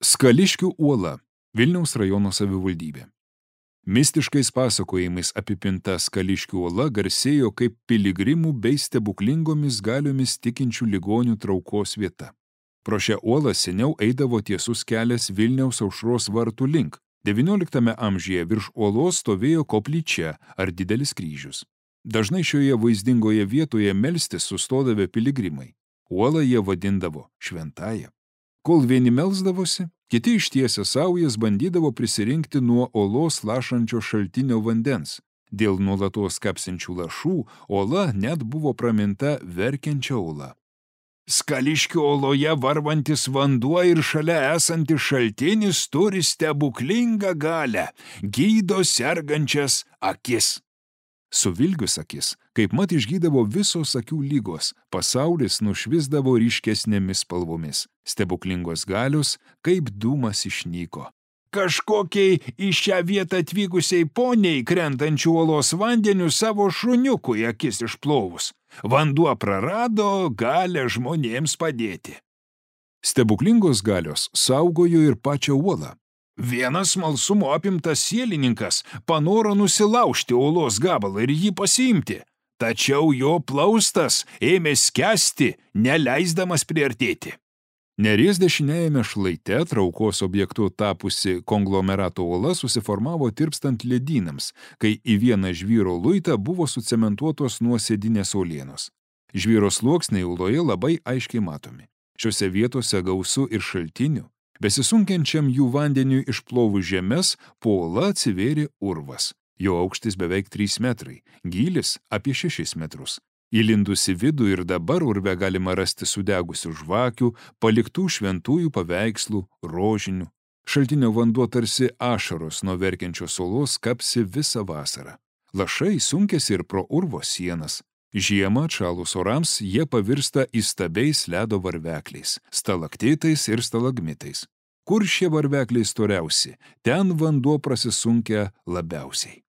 Skališkių uola, Vilniaus rajono savivaldybė. Mistiškais pasakojimais apipinta Skališkių uola garsėjo kaip piligrimų bei stebuklingomis galiomis tikinčių ligonių traukos vieta. Pro šią uolą seniau eidavo tiesus kelias Vilniaus Aušros vartų link. XIX amžiuje virš uolos stovėjo koplyčia ar didelis kryžius. Dažnai šioje vaizdingoje vietoje melstis sustodavę piligrimai. Uolą jie vadindavo šventąja. Kol vieni melsdavosi, kiti ištiesę saujas bandydavo prisirinkti nuo uolos lašančio šaltinio vandens. Dėl nuolatos kapsinčių lašų uola net buvo praminta verkiančia uola. Skališkių uoloje varvantis vanduo ir šalia esantis šaltinis turi stebuklingą galią, gydo sergančias akis. Suvilgius akis, kaip mat išgydavo visos akių lygos, pasaulis nušvisdavo ryškesnėmis spalvomis, stebuklingos galios, kaip dūmas išnyko. Kažkokiai į šią vietą atvykusiai poniai krentančių uolos vandeniu savo šuniukui akis išplovus. Vanduo prarado galę žmonėms padėti. Stebuklingos galios saugojo ir pačią uolą. Vienas smalsumo apimtas sielininkas panoro nusilaužti uolos gabalą ir jį pasiimti, tačiau jo plaustas ėmė skęsti, neleisdamas priartėti. Neries dešiniajame šlaite traukos objektu tapusi konglomerato uola susiformavo tirpstant ledynams, kai į vieną žvyro luitą buvo sucementuotos nuosėdinės uolienos. Žvyro sluoksniai uoloje labai aiškiai matomi. Šiuose vietose gausu ir šaltinių. Besisunkiančiam jų vandeniui išplovus žemes, po uola atsivėrė urvas. Jo aukštis beveik 3 metrai, gylis apie 6 metrus. Įlindusi vidų ir dabar urve galima rasti sudegusių žvakių, paliktų šventųjų paveikslų, rožinių. Šaltinio vanduo tarsi ašaros nuo verkiančios uolos kapsi visą vasarą. Lašai sunkėsi ir pro urvo sienas. Žiemą atšalus orams jie pavirsta įstabiais ledo varvekliais, stalaktitais ir stalagmitais. Kur šie varvekliai storiausi, ten vanduo prasisunkia labiausiai.